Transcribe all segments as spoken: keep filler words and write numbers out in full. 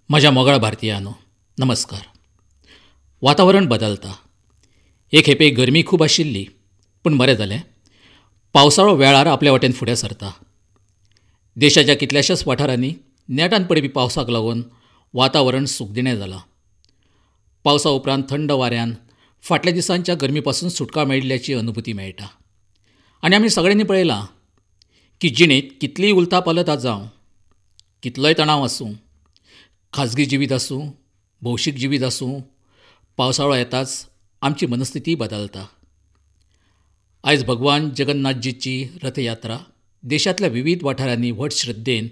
म्हज्या मोगाळ भारतीयांनो, नमस्कार. वातावरण बदलता. एक खेपे गरमी खूब आशिल्ली, पूण बरें जालें, पावसाळो वेळार आपल्या वाटेन फुडें सरता. देशाच्या कितल्याशाच वाठारांनी नेटान पडपी पावसाक लागून वातावरण सुखदिणें जालां. पावसा उपरांत थंड वाऱ्यान फाटल्या दिसांच्या गरमी पासून सुटका मेळिल्ल्याची अनुभूती मेळटा. आनी आमी सगळ्यांनी पळयलां की जिणेंत कितलीय उलथापालथा जावं, कितलोय तणाव आसूं, खाजगी जिवीत आसूं, भौशीक जिवीत आसूं, पावसाळो येताच आमची मनस्थिती बदलता. आयज भगवान जगन्नाथजीची रथयात्रा देशांतल्या विविध वाठारांनी व्हड श्रद्धेन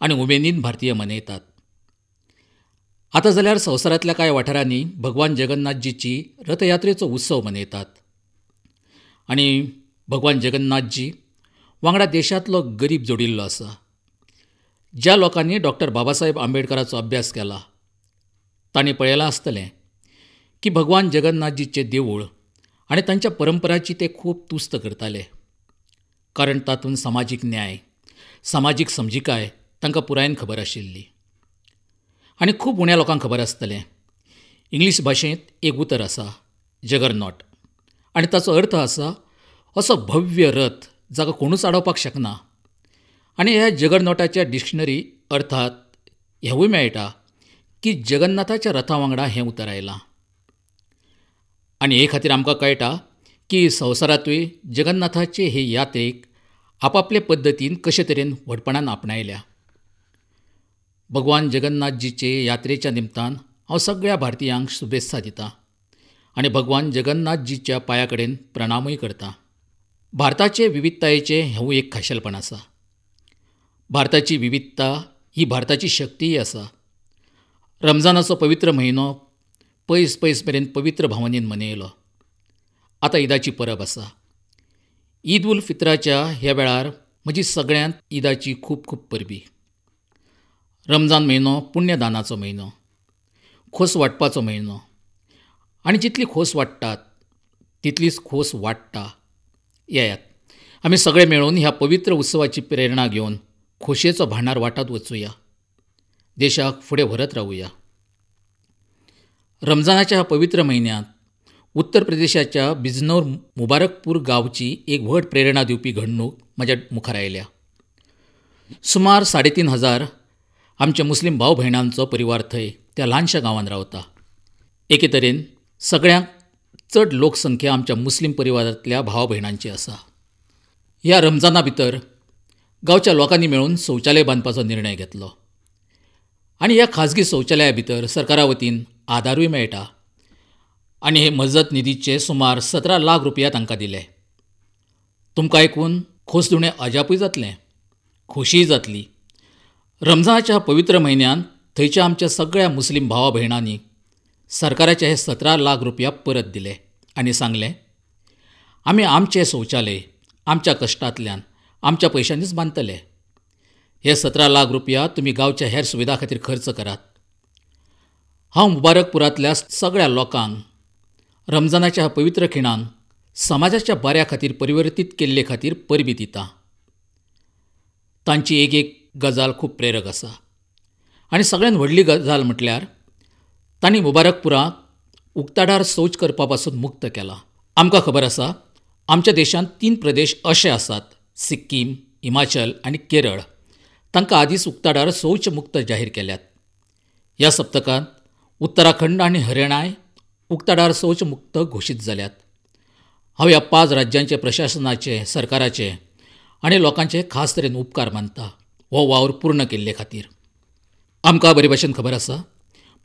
आनी उमेदीन भारतीय मनयतात. आतां जाल्यार संवसारांतल्या कांय वाठारांनी भगवान जगन्नाथजीची रथयात्रेचो उत्सव मनयतात आनी भगवान जगन्नाथजी वांगडा देशांतलो गरीब जोडिल्लो आसा. ज्या लोकांनी डॉक्टर बाबासाहेब आंबेडकराचो अभ्यास केला तांणी पळयलां आसतलें की भगवान जगन्नाथजीचें देवूळ आनी तांच्या परंपराची ते खूब तुस्त करताले, कारण तातूंत समाजीक न्याय, समाजीक समजिकाय तांकां पुरायेन खबर आशिल्ली. आनी खूब उण्या लोकांक खबर आसतलें, इंग्लीश भाशेंत एक उतर आसा, जगरनॉट, आनी ताचो अर्थ आसा असो भव्य रथ जाका कोणूच आडोवपाक शकना. आनी ह्या जगरनॉटाच्या डिक्शनरी अर्थात हेंवूय मेळटा की जगन्नाथाच्या रथा वांगडा हें उतर आयलां. आनी हे खातीर आमकां कळटा की संवसारांतूय जगन्नाथाचे हे यात्रेक आपापले पद्दतीन कशे तरेन व्हडपणान आपणायल्या. भगवान जगन्नाथजीचे यात्रेच्या निमतान हांव सगळ्या भारतीयांक शुभेत्सा दितां आनी भगवान जगन्नाथजीच्या पांया कडेन प्रणामूय करतां. भारताचे विविधतायेचें हेंवूय एक खाशेलपण आसा. भारताची विविधता ही भारताची शक्तीय आसा. रमजानाचो पवित्र म्हयनो पयस पयस मेरेन पवित्र भावनेन मनयलो. आतां ईदाची परब आसा. ईद उल फित्राच्या ह्या वेळार म्हजी सगळ्यांत ईदाची खूब खूब परबी. रमजान म्हयनो पुण्यदानाचो म्हयनो, खोस वांटपाचो म्हयनो, आनी जितली खोस वांट्टात तितलीच खोस वाडटा. येयात, आमी सगळे मेळून ह्या पवित्र उत्सवाची प्रेरणा घेवन खोशयेचो भांडार वांटत वचुया, देशाक फुडें व्हरत रावुया. रमजानाच्या ह्या पवित्र म्हयन्यांत उत्तर प्रदेशाच्या बिजनौर मुबारकपूर गांवची एक व्हड प्रेरणा दिवपी घडणूक म्हज्या मुखार आयल्या. सुमार साडे तीन हजार आमच्या मुस्लीम भाव भयणांचो परिवार थंय त्या ल्हानशा गांवांत रावता. एके तरेन सगळ्यांत चड लोकसंख्या आमच्या मुस्लीम परिवारांतल्या भाव भयणांची आसा. ह्या रमजाना भितर गांवच्या लोकांनी मेळून शौचालय बांदपाचो निर्णय घेतलो आनी ह्या खाजगी शौचालया भितर सरकारा वतीन आदारूय मेळटा आनी हे मजत निधीचे सुमार सतरा लाख रुपया तांकां दिले. तुमकां आयकून खोसदिणें अजापूय जातलें, खोशीय जातली. रमजानाच्या पवित्र म्हयन्यांत थंयच्या आमच्या सगळ्या मुस्लीम भावा भयणांनी सरकाराचे हे सतरा लाख रुपया परत दिले आनी सांगलें, आमी आमचें शौचालय आमच्या कश्टांतल्यान आमच्या पयशांनीच बांदतले. हे सतरा लाख रुपया तुमी गांवच्या हेर सुविधा खातीर खर्च करात. हांव मुबारकपुरांतल्या सगळ्या लोकांक रमजानाच्या ह्या पवित्र खिणांक समाजाच्या बऱ्या खातीर परिवर्तीत केल्ले खातीर परबीं दितां. तांची एक एक गजाल खूब प्रेरक आसा. आनी सगळ्यांत व्हडली गजाल म्हटल्यार तांणी मुबारकपुराक उक्ताडार शौच करपा पासून मुक्त केला. आमकां खबर आसा, आमच्या देशांत तीन प्रदेश अशे आसात, सिक्कीम, हिमाचल आनी केरळ, तांकां आदींच उक्ताडार शौच मुक्त जाहीर केल्यात. ह्या सप्तकांत उत्तराखंड आनी हरियाणाय उक्ताडार शौच मुक्त घोशीत जाल्यात. हांव ह्या पांच राज्यांचे प्रशासनाचे, सरकाराचे आनी लोकांचे खास तरेन उपकार मानता हो वावर पूर्ण केल्ले खातीर. आमकां बरे भाशेन खबर आसा,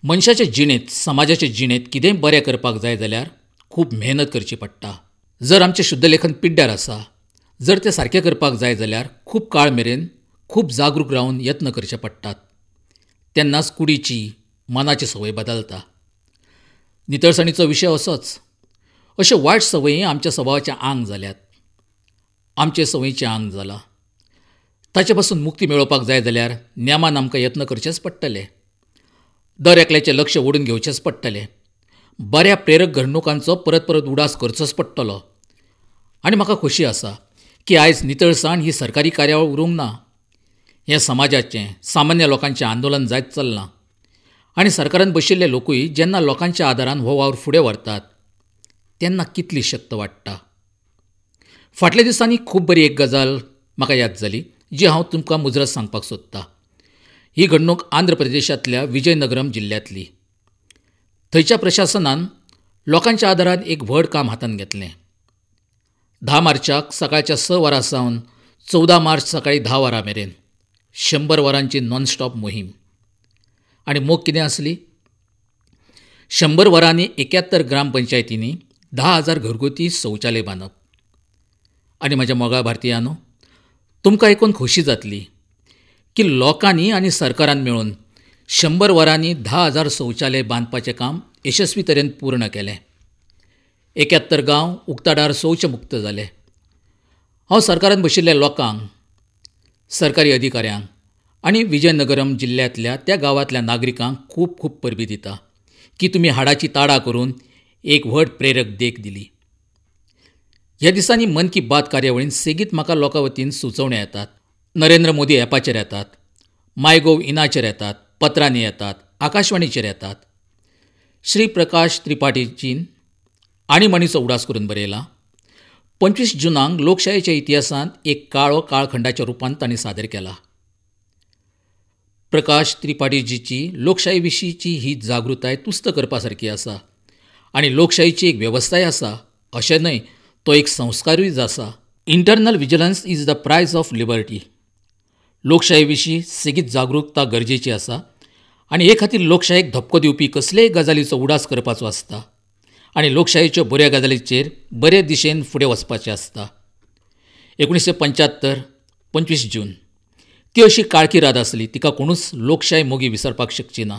मनशाचे जिणेंत, समाजाचे जिणेंत कितेंय बरें करपाक जाय जाल्यार खूब मेहनत करची पडटा. जर आमचें शुद्धलेखन पिड्ड्यार आसा, जर तें सारकें करपाक जाय जाल्यार खूब काळ मेरेन खूब जागरूक रावन यत्न करचे पडटात. तेन्नाच कुडीची, मनाची संवय बदलता. नितळसाणीचो विशय असोच. अश्यो वायट संवयी आमच्या स्वभावाचें आंग जाल्यात, आमचे संवयीचें आंग जालां. ताचे पासून मुक्ती मेळोवपाक जाय जाल्यार नेमान आमकां यत्न करचेच पडटले. दर एकल्याचें लक्ष ओडून घेवचेंच पडटलें. बऱ्या प्रेरक घडणुकांचो परत परत उडास करचोच पडटलो. आनी म्हाका खोशी आसा की आयज नितळसाण ही सरकारी कार्यावळ उरूंक ना. हें समाजाचें, सामान्य लोकांचें आंदोलन जायत चल्लां. आनी सरकारान बशिल्ले लोकूय जेन्ना लोकांच्या आदारान हो वावर फुडें व्हरतात तेन्ना कितली शक्त वाडटा. फाटल्या दिसांनी खूब बरी एक गजाल म्हाका याद जाली जी हांव तुमकां मुजरत सांगपाक सोदतां. ही घडणूक आंध्र प्रदेशांतल्या विजयनगरम जिल्ल्यांतली. थंयच्या प्रशासनान लोकांच्या आदारान एक व्हड काम हातांत घेतलें. धा मार्चाक सकाळच्या स वरां सावन चवदा मार्च सकाळी धा वरां मेरेन शंबर वरांची नॉनस्टॉप मोहीम. आनी मोख कितें आसली? शंबर वरांनी एक्यात्तर ग्रामपंचायतींनी धा हजार घरगुती शौचालय बांदप. आनी म्हज्या मोगाळ भारतीयांनो, तुमकां आयकून खोशी जातली की लोकांनी आनी सरकारान मेळून शंबर वरांनी धा हजार शौचालय बांदपाचें काम यशस्वी तरेन पूर्ण केलें. एक्यात्तर गांव उक्ताडार शौचमुक्त जाले. हांव सरकारान बशिल्ल्या लोकांक, सरकारी अधिकाऱ्यांक आनी विजयनगरम जिल्ल्यांतल्या त्या गांवांतल्या नागरिकांक खूब खूब परबीं दिता की तुमी हाडाची ताडां करून एक व्हड प्रेरक देख दिली. ह्या दिसांनी मन की बात कार्यावळीन सेगीत म्हाका लोकां वतीन सुचोवण्यो येतात. नरेंद्र मोदी ॲपाचेर येतात, माय गोव इनाचेर येतात, पत्रांनी येतात, आकाशवाणीचेर येतात. श्री प्रकाश त्रिपाठीजीन आणीबाणीचो उडास करून बरयला. पंचवीस जुनाक लोकशायेच्या इतिहासांत एक काळो काळखंडाच्या रुपान तांणी सादर केला. प्रकाश त्रिपाठीजीची लोकशाये विशींची ही जागृताय तुस्त करपा सारकी आसा आनी लोकशायेची एक वेवस्थाय आसा अशें न्हय, तो एक संस्कारूय आसा. Internal vigilance is the price of liberty. लोकशाये विशीं सेगीत जागृकता गरजेची आसा आनी हे खातीर लोकशायेक धपको दिवपी कसलेय गजालीचो उडास करपाचो आसता आनी लोकशायेच्यो बऱ्या गजालीचेर बरे दिशेन फुडें वचपाचें आसता. एकुणीसशें पंच्यात्तर पंचवीस जून ती अशी काळखी रात आसली, तिका कोणूच लोकशाय मोगी विसरपाक शकची ना,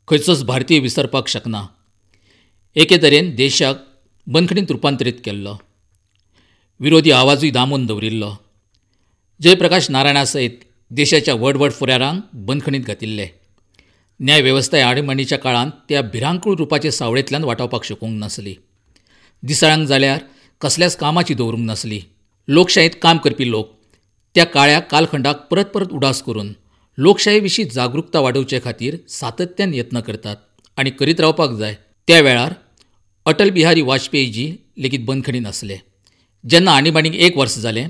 खंयचोच भारतीय विसरपाक शकना. एके तरेन देशाक बंदखणींत रुपांतरीत केल्लो, विरोधी आवाजूय दामून दवरिल्लो. जयप्रकाश नारायणा सयत देशाच्या व्हड व्हड फुडारांक बंदखणींत घातिल्ले. न्याय वेवस्था आणीबाणीच्या काळांत त्या भिरांकूळ रुपाचे सावळेंतल्यान वाटावपाक शकूंक नासली. दिसाळ्यांक जाल्यार कसल्याच कामाची दवरूंक नासली. लोकशायेंत काम करपी लोक त्या काळ्या कालखंडाक परत परत उडास करून लोकशाये विशीं जागृकता वाडोवचे खातीर सातत्यान यत्न करतात आनी करीत रावपाक जाय. त्या वेळार अटल बिहारी वाजपेयीजी लेगीत बंदखणींत आसले. जेन्ना आणीबाणीक एक वर्स जालें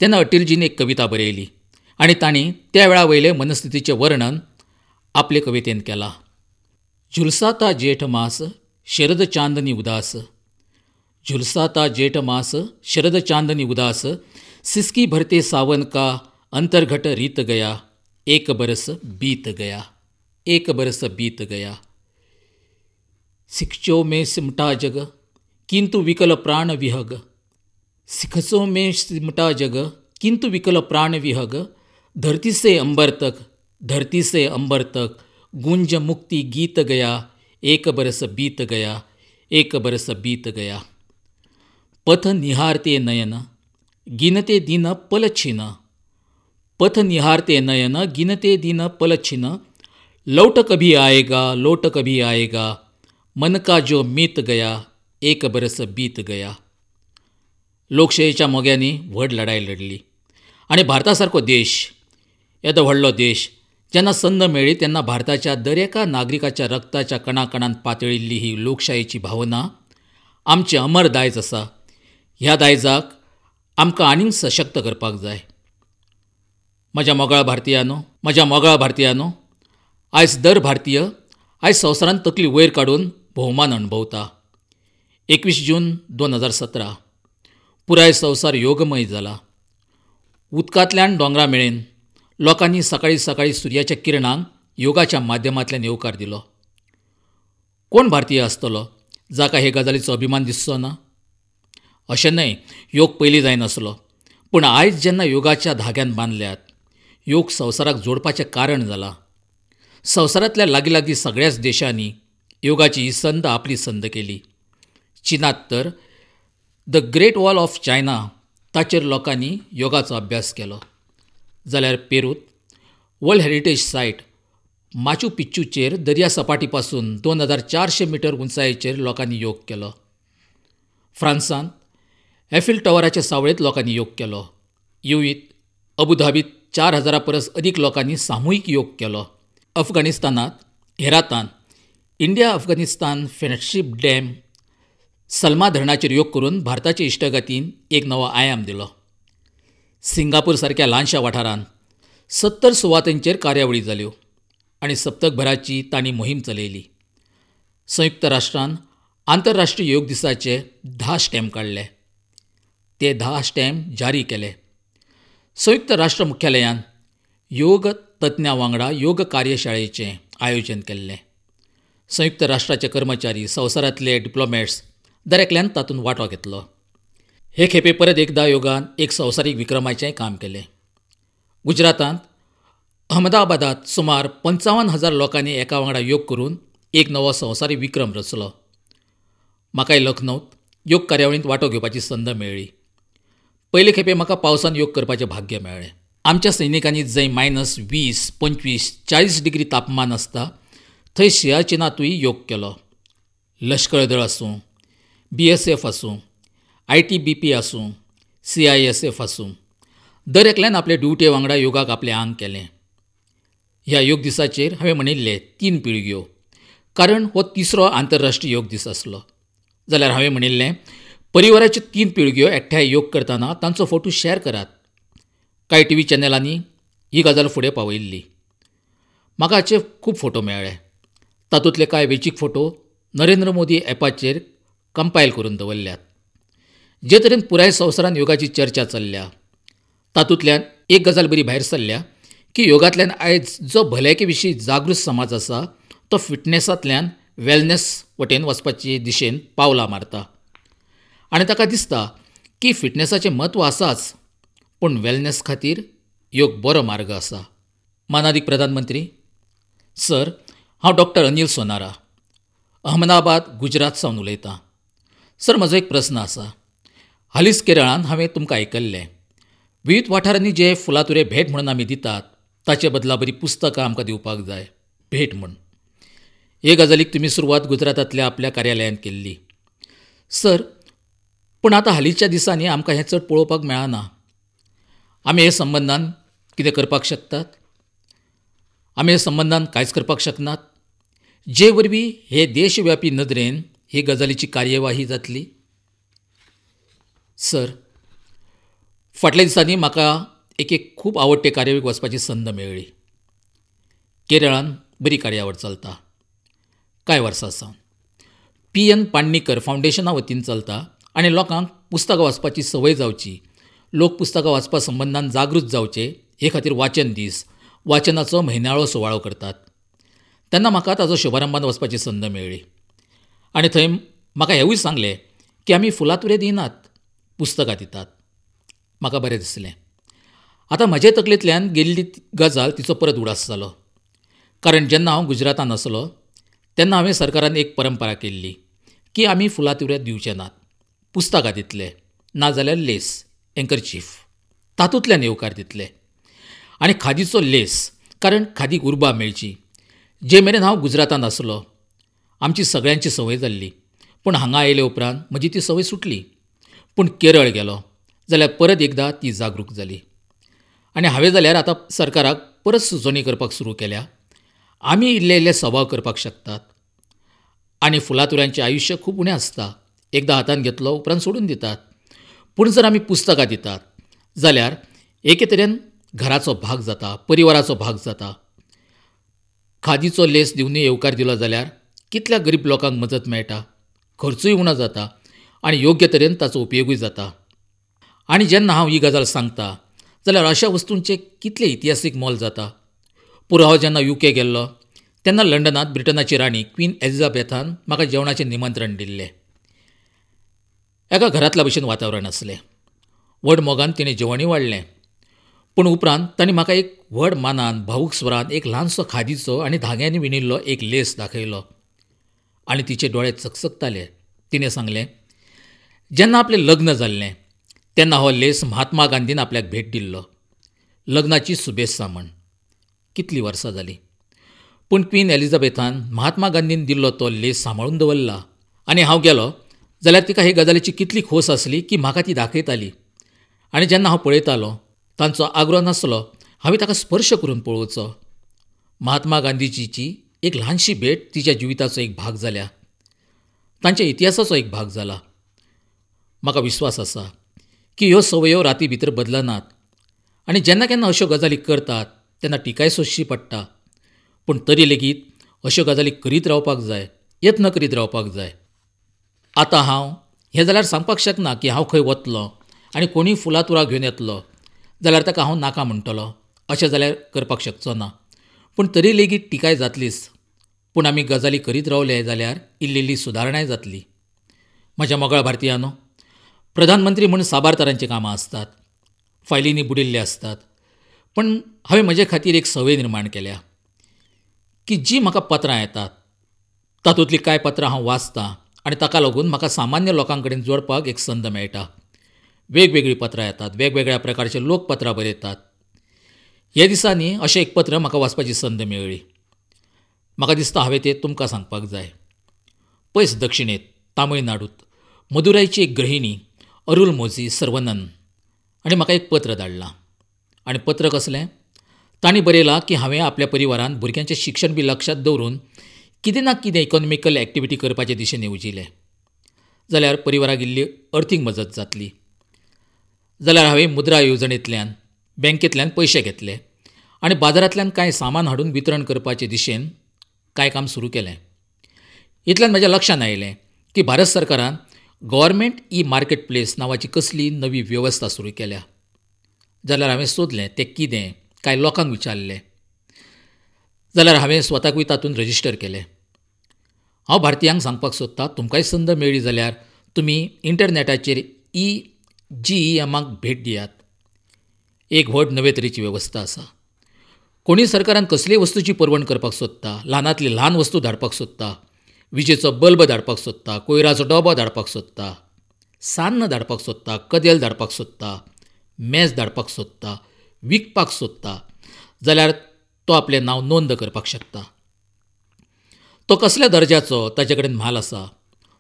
तेन्ना अटलजीन एक कविता बरयली आनी तांणी त्या वेळा वयले मनस्थितीचें वर्णन आपले कवितेन केलां. झुलसाता जेठ मास शरद चांदनी उदास, झुलसाता जेठ मास शरद चांदनी उदास, सिसकी भरते सावन का अंतर्घट रीत गया, एक बरस बीत गया, एक बरस बीत गया. सिखचो में सिमटा जग किंतु विकल प्राण विहग, सिखचो में सिमटा जग किंतु विकल प्राण विहग, धरती से अंबर तक, धरती से अंबर तक गुंज मुक्ति गीत गया, एक बरस बीत गया, एक बरस बीत गया. पथ निहारते नयन गिनते दिन पल छिन, पथ निहारते नयन गिनते दिन पल छिन, लौट कभी आएगा, लौट कभी आएगा, मन का जो मीत गया, एक बरस बीत गया. लोकशायेच्या मोग्यांनी व्हड लढाय लढली आनी भारता सारको देश, येदो व्हडलो देश, जेन्ना संद मेळ्ळी तेन्ना भारताच्या दरेका नागरिकाच्या रक्ताच्या कणाकणान पातळिल्ली ही लोकशायेची भावना आमचें अमर दायज आसा. ह्या दायजाक आमकां आनीक सशक्त करपाक जाय. म्हज्या मोगाळ भारतीयांनो, म्हज्या मोगाळ भारतीयांनो, आयज दर भारतीय आयज संवसारांत तकली वयर काडून भोवमान अणभवता. एकवीस जून दोन हजार सतरा पुराय संवसार योगमय जाला. उदकांतल्यान दोंगरा मेरेन लोकांनी सकाळीं सकाळीं सुर्याच्या किरणांक योगाच्या माध्यमांतल्यान येवकार दिलो. कोण भारतीय आसतलो जाका हे गजालीचो अभिमान दिसचो ना? अशें न्हय, योग पयलीं जायनासलो, पूण आयज जेन्ना योगाच्या धाग्यान बांदल्यात, योग संवसाराक जोडपाचें कारण जाला. संवसारांतल्या लागीं लागीं सगळ्याच देशांनी योगाची ही संद आपली संद केली. चीनांत तर the great wall of China ताचेर लोकांनी योगाचो अभ्यास केलो. जाल्यार पेरूत वर्ल्ड हेरिटेज सायट माचू पिच्चूचेर दर्या सपाटी पासून दोन हजार चारशे मिटर उंचायेचेर लोकांनी योग केलो. फ्रांसांत एफिल टॉवराच्या सावळेंत लोकांनी योग केलो. युएईत, अबुधाबीत चार हजारा परस अदीक लोकांनी सामुहीक योग केलो. अफगाणिस्तानांत हेरातान India Afghanistan friendship dam Salma धरणाचेर योग करून भारताचे इश्टागतीन एक नवो आयाम दिलो. सिंगापूर सारक्या ल्हानशा वाठारांत सत्तर सुवातांचेर कार्यावळी जाल्यो आनी सप्तकभराची तांणी मोहीम चलयली. संयुक्त राष्ट्रान आंतरराष्ट्रीय योग दिसाचे धा स्टॅम्प काडले. ते धा स्टॅम्प जारी केले. संयुक्त राष्ट्र मुख्यालयान योग तज्ञां वांगडा योग कार्यशाळेचें आयोजन केल्लें. संयुक्त राष्ट्राचे कर्मचारी, संवसारांतले डिप्लोमॅट्स दर एकल्यान तातूंत वांटो घेतलो. हे खेपे परत एकदां योगान एक संवसारीक विक्रमाचें काम केलें. गुजरातांत अहमदाबादांत सुमार पंचावन्न हजार लोकांनी एका वांगडा योग करून एक नवो संवसारीक विक्रम रचलो. म्हाकाय लखनौत योग कार्यावळींत वांटो घेवपाची संद मेळ्ळी. पयले खेपे म्हाका पावसान योग करपाचें भाग्य मेळ्ळें. आमच्या सैनिकांनी जंय मायनस वीस, पंचवीस, चाळीस डिग्री तापमान आसता थंय सियाचीनांतूय योग केलो. लश्कर दळ आसूं, बी एस एफ आसूं, I T B P आसूं, सी I S F आसूं, दर एकल्यान आपले ड्युटे वांगडा योगाक आपलें आंग केलें. ह्या योग दिसाचेर हांवें म्हणिल्लें तीन पिळग्यो, कारण हो तिसरो आंतरराष्ट्रीय योग दीस आसलो. जाल्यार हांवें म्हणिल्लें परिवाराच्यो तीन पिळग्यो एकठांय योग करतना तांचो फोटो शॅर करात. कांय टी व्ही चॅनलांनी ही गजाल फुडें पावयिल्ली. म्हाका हाचे खूब फोटो मेळ्ळे. तातूंतले कांय वेंचीक फोटो नरेंद्र मोदी ॲपाचेर कंपायल करून दवरल्यात. जे तरेन पुराय संवसारांत योगाची चर्चा चल्ल्या तातूंतल्यान एक गजाल बरी भायर सरल्या की योगांतल्यान आयज जो भलायके विशीं जागृत समाज आसा तो फिटनेसांतल्यान वेलनेस वटेन वचपाचे दिशेन पावलां मारता आनी ताका दिसता की फिटनेसाचें म्हत्व आसाच, पूण वेलनेस खातीर योग बरो मार्ग आसा. मानादीक प्रधानमंत्री सर, हांव डॉक्टर अनिल सोनारा, अहमदाबाद गुजरात सावन उलयतां. सर, म्हजो एक प्रस्न आसा. हालींच केरळांत हांवें तुमकां आयकल्लें, विविध वाठारांनी जे फुलातुरे भेट म्हणून आमी दितात ताचे बदला बरी पुस्तकां आमकां दिवपाक जाय भेट म्हूण. हे गजालीक तुमी सुरवात गुजरातांतल्या आपल्या कार्यालयांत केल्ली सर, पूण आतां हालींच्या दिसांनी आमकां हें चड पळोवपाक मेळना. आमी हे संबंदान कितें करपाक शकतात? आमी हे संबंदान कांयच करपाक शकनात, जे वरवीं हे देशव्यापी नदरेन ही गजालीची कार्यवाही जातली? सर, फाटल्या दिसांनी म्हाका एक एक खूब आवडटे कार्यावळीक वचपाची संद मेळ्ळी. केरळान बरी कार्यावळ चलता कांय वर्सां सावन. पी एन पाणणीकर फावंडेशना वतीन चलता आनी लोकांक पुस्तकां वाचपाची संवय जावची, लोक पुस्तकां वाचपा संबंदान जागृत जावचे हे खातीर वाचन दीस, वाचनाचो म्हयन्याळो सुवाळो करतात. तेन्ना म्हाका ताजो शुभारंभान वचपाची संद मेळ्ळी आनी थंय म्हाका हेंवूय सांगलें की आमी फुलातुरे दिनात, पुस्तकां दितात. म्हाका बरें दिसलें. आतां म्हजे तकलेंतल्यान गेल्ली गजाल तिचो परत उडास जालो, कारण जेन्ना हांव गुजरातान आसलो तेन्ना हांवें सरकारान एक परंपरा केल्ली की आमी फुलातुरे दिवचे नात, पुस्तकां दितले, नाजाल्यार लेस, एंकरचीफ, तातूंतल्यान येवकार दितले आनी खादीचो लेस, कारण खादीक उर्बा मेळची. जे मेरेन हांव गुजरातान आसलो आमची सगळ्यांची संवय जाल्ली, पूण हांगा आयले उपरांत म्हजी ती संवय सुटली. पूण केरळ गेलो जाल्यार परत एकदां ती जागरूक जाली आनी हांवें जाल्यार आतां सरकाराक परत सुचोवणी करपाक सुरू केल्या. आमी इल्ले इल्ले सभाव करपाक शकतात आनी फुलातुऱ्यांचें आयुश्य खूब उणें आसता, एकदां हातान घेतलो उपरांत सोडून दितात. पूण जर आमी पुस्तकां दितात जाल्यार एके तरेन घराचो भाग जाता, परिवाराचो भाग जाता. खादीचो लेस दिवनूय येवकार दिलो जाल्यार कितल्या गरीब लोकांक मजत मेळटा, खर्चूय उणो जाता आनी योग्य तरेन ताचो उपयोगूय जाता. आनी जेन्ना हांव ही गजाल सांगता जाल्यार अशा वस्तूंचें कितलें इतिहासीक मोल जाता. पुरो हांव जेन्ना you के गेल्लो तेन्ना लंडनांत ब्रिटनाची राणी क्वीन एलिझाबेथान म्हाका जेवणाचें निमंत्रण दिल्लें. एका घरांतल्या भशेन वातावरण आसलें. व्हड मोगान तिणें जेवणूय वाडलें, पूण उपरांत तांणी म्हाका एक व्हड मानान भावूक स्वरान एक ल्हानसो खादीचो आनी धाग्यांनी विणिल्लो एक लेस दाखयलो आनी तिचे दोळे चकचकताले. तिणें सांगलें, जेन्ना आपलें लग्न जाल्लें तेन्ना हो लेस महात्मा गांधीन आपल्याक भेट दिल्लो, लग्नाची शुभेत्सा म्हण. कितलीं वर्सां जालीं, पूण क्वीन एलिझाबेथान महात्मा गांधीन दिल्लो तो लेस सांबाळून दवरला. आनी हांव गेलो जाल्यार तिका हे गजालीची कितली खोस आसली की म्हाका ती दाखयताली. आनी जेन्ना हांव पळयतालो तांचो आग्रो नासलो, हांवें ताका स्पर्श करून पळोवचो. महात्मा गांधीजीची एक ल्हानशी भेट तिच्या जिविताचो एक भाग जाल्या, तांच्या इतिहासाचो एक भाग जाला. म्हाका विस्वास आसा की ह्यो संवयो राती भितर बदलनात आनी जेन्ना केन्ना अश्यो गजाली करतात तेन्ना टिकाय सोंसची पडटा, पूण तरी लेगीत अश्यो गजाली करीत रावपाक जाय, यत्न करीत रावपाक जाय. आतां हांव हें जाल्यार सांगपाक शकना की हांव खंय वतलो आनी कोणूय फुलां तुरां घेवन येतलो जाल्यार ताका हांव नाका म्हणटलो, अशें जाल्यार करपाक शकचो ना. पूण तरी लेगीत टिकाय जातलीच. पूण आमी गजाली करीत रावले जाल्यार इल्ली इल्ली सुदारणाय जातली. म्हज्या मोगाळ भारतीयांनो, प्रधानमंत्री म्हूण साबार तरांचीं कामां आसतात, फायलींनी बुडिल्ले आसतात, पूण हांवें म्हजे खातीर एक संवय निर्माण केल्या की जी म्हाका पत्रां येतात तातूंतलीं कांय पत्रां हांव वाचतां आनी ताका लागून म्हाका सामान्य लोकां कडेन जोडपाक एक संद मेळटा. वेगवेगळीं पत्रां येतात, वेगवेगळ्या प्रकारचे लोक पत्रां बरयतात. ह्या दिसांनी अशें एक पत्र म्हाका वाचपाची संद मेळ्ळी. म्हाका दिसता हांवें तें तुमकां सांगपाक जाय. पयस दक्षिणेंत तामिळनाडूंत मदुरायची एक गृहिणी अरुल मोझी सर्वनन आनी म्हाका एक पत्र धाडलां. आनी पत्र कसलें? तांणी बरयलां की हांवें आपल्या परिवारान भुरग्यांचें शिक्षण बी लक्षांत दवरून कितें ना कितें इकॉनॉमिकल एक्टिविटी करपाचे दिशेन येवजिलें जाल्यार परिवाराक इल्ली अर्थीक मजत जातली. जाल्यार हांवें मुद्रा येवजणेंतल्यान बँकेंतल्यान पयशे घेतले आनी बाजारांतल्यान कांय सामान हाडून वितरण करपाचे दिशेन कांय काम सुरू केलें. इतल्यान म्हज्या लक्षांत आयलें की भारत सरकारान गव्हर्मेंट ई मार्केट प्लेस नांवाची कसली नवी वेवस्था सुरू केल्या. जाल्यार हांवें सोदलें तें कितें, कांय लोकांक विचारलें, जाल्यार हांवें स्वताकूय तातूंत रजिस्टर केलें. हांव भारतीयांक सांगपाक सोदतां, तुमकांय संद मेळ्ळी जाल्यार तुमी इंटरनॅटाचेर ई जी ई एमाक भेट दियात. एक व्हड नवे तरेची वेवस्था आसा. कोणूय सरकारान कसलीय वस्तूची पुरवण करपाक सोदता, ल्हानांतली ल्हान वस्तू धाडपाक सोदता, विजेचो बल्ब धाडपाक सोदता, कोयराचो डबो धाडपाक सोदता, सान्न धाडपाक सोदता, कदेल धाडपाक सोदता, मेज धाडपाक सोदता, विकपाक सोदता, जाल्यार तो आपलें नांव नोंद करपाक शकता. तो कसल्या दर्जाचो ताचे कडेन म्हाल आसा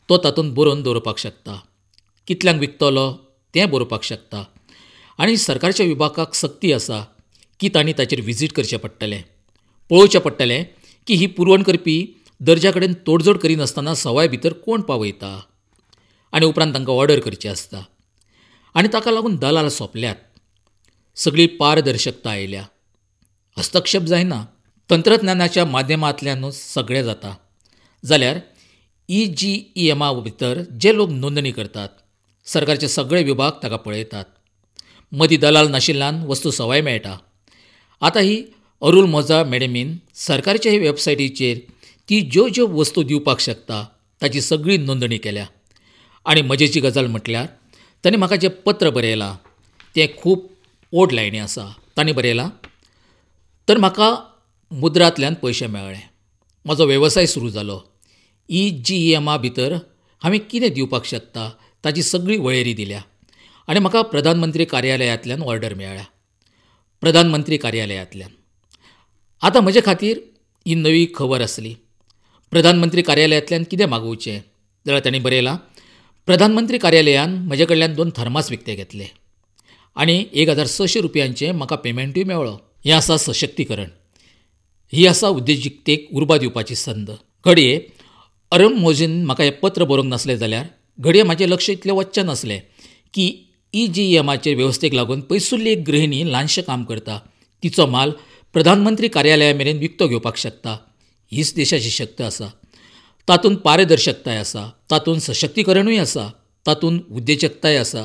तो तातूंत बरोवन दवरपाक शकता, कितल्यांक विकतलो तें बरोवपाक शकता. आनी सरकारच्या विभागाक सक्ती आसा की तांणी ताचेर विजीट करचें पडटलें, पळोवचें पडटलें की ही पुरवण करपी दर्जा कडेन तोडजोड करिनासतना सवाय भितर कोण पावयता, आनी उपरांत तांकां ऑर्डर करची आसता. आनी ताका लागून दलाल सोंपल्यात, सगळी पारदर्शकता आयल्या, हस्तक्षेप जायना, तंत्रज्ञानाच्या माध्यमांतल्यानूच सगळें जाता. जाल्यार ई जी ई एमा भितर जे लोक नोंदणी करतात, सरकारचे सगळे विभाग ताका पळयतात. मदीं दलाल नाशिल्ल्यान वस्तू सवाय मेळटा. आतां ही अरुल मोजा मॅडमीन सरकारच्या हे वेबसायटीचेर ती ज्यो ज्यो वस्तू दिवपाक शकता ताची सगळी नोंदणी केल्या. आनी मजेची गजाल म्हटल्यार तांणी म्हाका जें पत्र बरयलां तें खूब ओड लायणी आसा. तांणी बरयलां, तर म्हाका मुद्रांतल्यान पयशे मेळ्ळे, म्हजो वेवसाय सुरू जालो, ई जी एमा भितर हांवें कितें दिवपाक शकता ताची सगळी वळेरी दिल्या आनी म्हाका प्रधानमंत्री कार्यालयांतल्यान ऑर्डर मेळ्ळ्या. प्रधानमंत्री कार्यालयांतल्यान. आतां म्हजे खातीर ही नवी खबर आसली. प्रधानमंत्री कार्यालयांतल्यान कितें मागोवचें जाल्यार तांणी बरयलां, प्रधानमंत्री कार्यालयान म्हजे कडल्यान दोन थर्मास विकते घेतले आनी एक हजार सशे रुपयांचें म्हाका पेमेंटूय मेळ्ळो. हें आसा सशक्तीकरण, ही आसा उद्देजिकतेक उर्बा दिवपाची संद. घडये अरुण मोजीन म्हाका हें पत्र बरोवंक नासलें जाल्यार घडये म्हाजें लक्ष इतलें वचचें नासलें की ई जी एमाचे वेवस्थेक लागून पयसुल्ली एक गृहिणी ल्हानशें काम करता, तिचो म्हाल प्रधानमंत्री कार्यालया मेरेन विकतो घेवपाक शकता. हीच देशाची शक्त आसा. तातूंत पारदर्शकताय आसा, तातूंत सशक्तीकरणूय आसा, तातूंत उद्देजकताय आसा.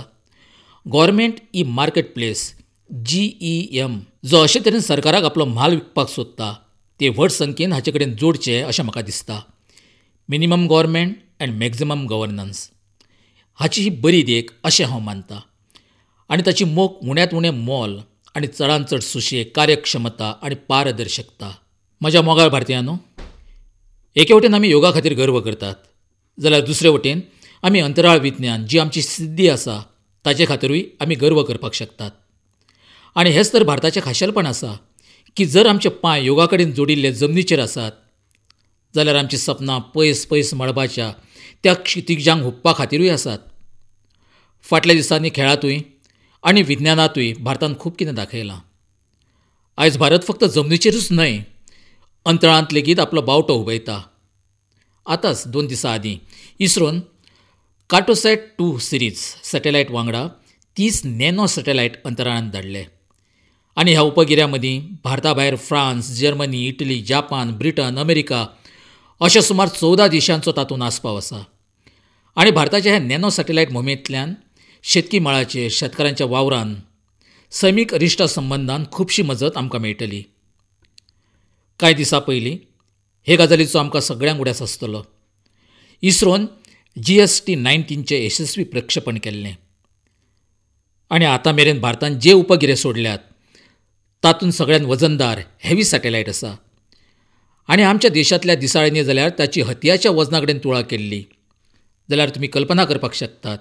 Government e market place G E M जो अशे तरेन सरकाराक आपलो म्हाल विकपाक सोदता ते व्हड संख्येन हाचे कडेन जोडचे अशें म्हाका दिसता. Minimum government and maximum governance हाची ही बरी देख अशें हांव मानता. आनी ताची मोख उण्यांत उणें मोल आनी चडांत चड सुशेग, कार्यक्षमता आनी पारदर्शकता. म्हज्या मोगाळ भारतीयांनो, एके वटेन आमी योगा खातीर गर्व करतात जाल्यार दुसरे वटेन आमी अंतराळ विज्ञान जी आमची सिद्धी आसा ताचे खातीरूय आमी गर्व करपाक शकतात. आनी हेंच तर भारताचें खाशेलपण आसा की जर आमचे पांय योगा कडेन जोडिल्ले जमनीचेर आसात जाल्यार आमचीं सपनां पयस पयस मळबाच्या त्या क्षितिजांक हुपपा खातीरूय आसात. फाटल्या दिसांनी खेळांतूय आनी विज्ञानांतूय भारतान खूब कितें दाखयलां. आयज भारत फक्त जमनीचेरूच न्हय अंतराळांत लेगीत आपलो बावटो हुबयता. आतांच दोन दिसां आदीं इस्रोन कार्टोसॅट टू सिरीज सॅटेलायट वांगडा तीस नॅनो सॅटेलायट अंतराळांत धाडले आनी ह्या उपगिऱ्यां मदीं भारता भायर France, Germany, Italy, Japan, Britain, America अशा सुमार चवदा देशांचो तातूंत आस्पाव आसा. आनी भारताच्या ह्या नॅनो सॅटेलायट मोहिमेंतल्यान शेतकी मळाचेर, शेतकारांच्या वावरान, सैमीक अरिश्टा संबंदान खुबशी मजत आमकां मेळटली. कांय दिसां पयलीं हे गजालीचो आमकां सगळ्यांक उडास आसतलो. इस्रोन जी एस टी नायन्टीनचें यशस्वी प्रक्षेपण केल्लें आनी आतां मेरेन भारतान जे उपगिरे सोडल्यात तातूंत सगळ्यांत वजनदार हेवी सॅटेलायट आसा. आनी आमच्या देशांतल्या दिसाळ्यांनी जाल्यार ताची हतयाच्या वजना कडेन तुळा केल्ली. जाल्यार तुमी कल्पना करपाक शकतात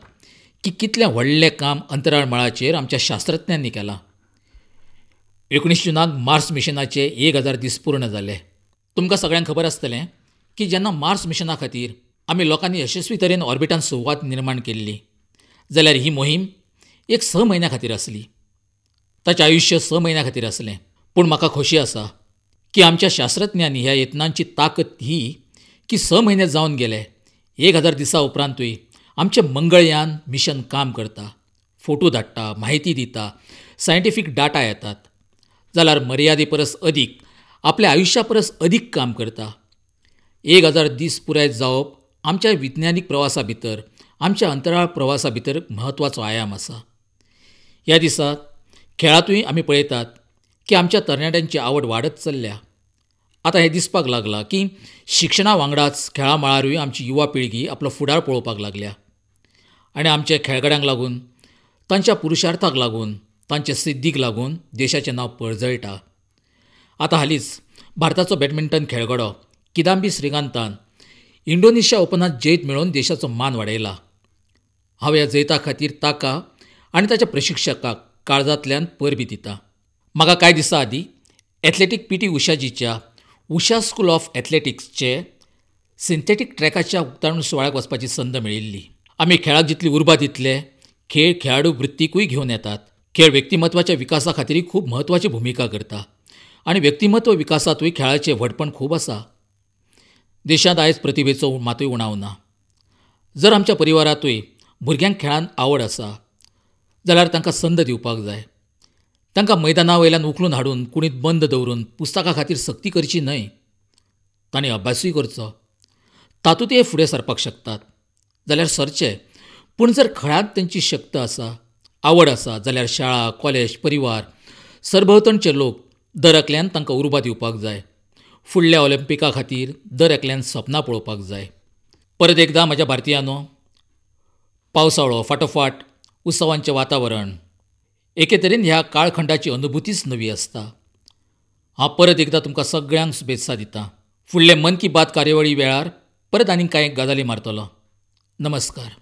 की कितलें व्हडलें काम अंतराळ मळाचेर आमच्या शास्त्रज्ञांनी केलां. एकुणीस जुनाक मार्स मिशनाचे एक हजार दीस पूर्ण जाले. तुमकां सगळ्यांक खबर आसतलें की जेन्ना मार्स मिशना खातीर आमी लोकांनी यशस्वी तरेन ऑर्बिटान सुवात निर्माण केल्ली जाल्यार ही मोहीम एक स म्हयन्या खातीर आसली. ताचें आयुश्य स म्हयन्या खातीर आसलें. पूण म्हाका खोशी आसा की आमच्या शास्त्रज्ञांनी ह्या यत्नांची ताकद ही की स म्हयने जावन गेले, एक हजार दिसां उपरांतूय आमचें मंगळयान मिशन काम करता, फोटो धाडटा, म्हायती दिता, सायंटिफीक डाटा येतात. जाल्यार मर्यादे परस अदीक, आपल्या आयुश्या परस अदीक काम करता. एक हजार दीस पुराय जावप आमच्या विज्ञानीक प्रवासा भितर, आमच्या अंतराळ प्रवासा भितर म्हत्वाचो आयाम आसा. ह्या दिसा खेळांतूय आमी पळयतात की आमच्या तरणाट्यांची आवड वाडत चल्ल्या. आतां हें दिसपाक लागलां की शिक्षणा वांगडाच खेळां मळारूय आमची युवा पिळगी आपलो फुडार पळोवपाक लागल्या आनी आमच्या खेळगड्यांक लागून, तांच्या पुरुशार्थाक लागून, तांचे सिद्धीक लागून देशाचें नांव पर्जळटा. आतां हालींच भारताचो बॅडमिंटन खेळगडो किदांबी श्रीकांतान इंडोनेशिया ओपनांत जैत मेळोवन देशाचो मान वाडयला. हांव ह्या जैता खातीर ताका आनी ताच्या प्रशिक्षकाक काळजांतल्यान परबीं दिता. म्हाका कांय दिसां आदीं एथलेटीक पी टी उषाजीच्या उषा स्कूल ऑफ एथलेटिक्सचे सिंथेटीक ट्रॅकाच्या उक्तावण सुवाळ्याक वचपाची संद मेळिल्ली. आमी खेळाक जितली उर्बा दितले, खेळ खेळाडू वृत्तीकूय घेवन येतात. खेळ व्यक्तिमत्वाच्या विकासा खातीर खूब म्हत्वाची भुमिका करता आनी व्यक्तिमत्व विकासांतूय खेळाचें व्हडपण खूब आसा. देशांत आयज प्रतिभेचो मातूय उणाव ना. जर आमच्या परिवारांतूय भुरग्यांक खेळांत आवड आसा जाल्यार तांकां संद दिवपाक जाय. तांकां मैदाना वयल्यान उखलून हाडून कुडींत बंद दवरून पुस्तकां खातीर सक्ती करची न्हय. तांणी अभ्यासूय करचो, तातूंतय फुडें सरपाक शकतात जाल्यार सरचे. पूण जर खेळांत तांची शक्त आसा, आवड आसा जाल्यार शाळा, कॉलेज, परिवार, सरभोंवतणचे लोक दर एकल्यान तांकां उर्बा दिवपाक जाय. फुडल्या ऑलिम्पिका खातीर दर एकल्यान सपनां पळोवपाक जाय. परत एकदां म्हज्या भारतीयांनो, पावसाळो फाटोफाट उत्सवांचें वातावरण, एके तरेन ह्या काळखंडाची अनुभूतीच नवी आसता. हांव परत एकदां तुमकां सगळ्यांक शुभेत्सा दितां. फुडले मन की बात कार्यावळी वेळार परत आनीक कांय गजाली मारतलो. नमस्कार.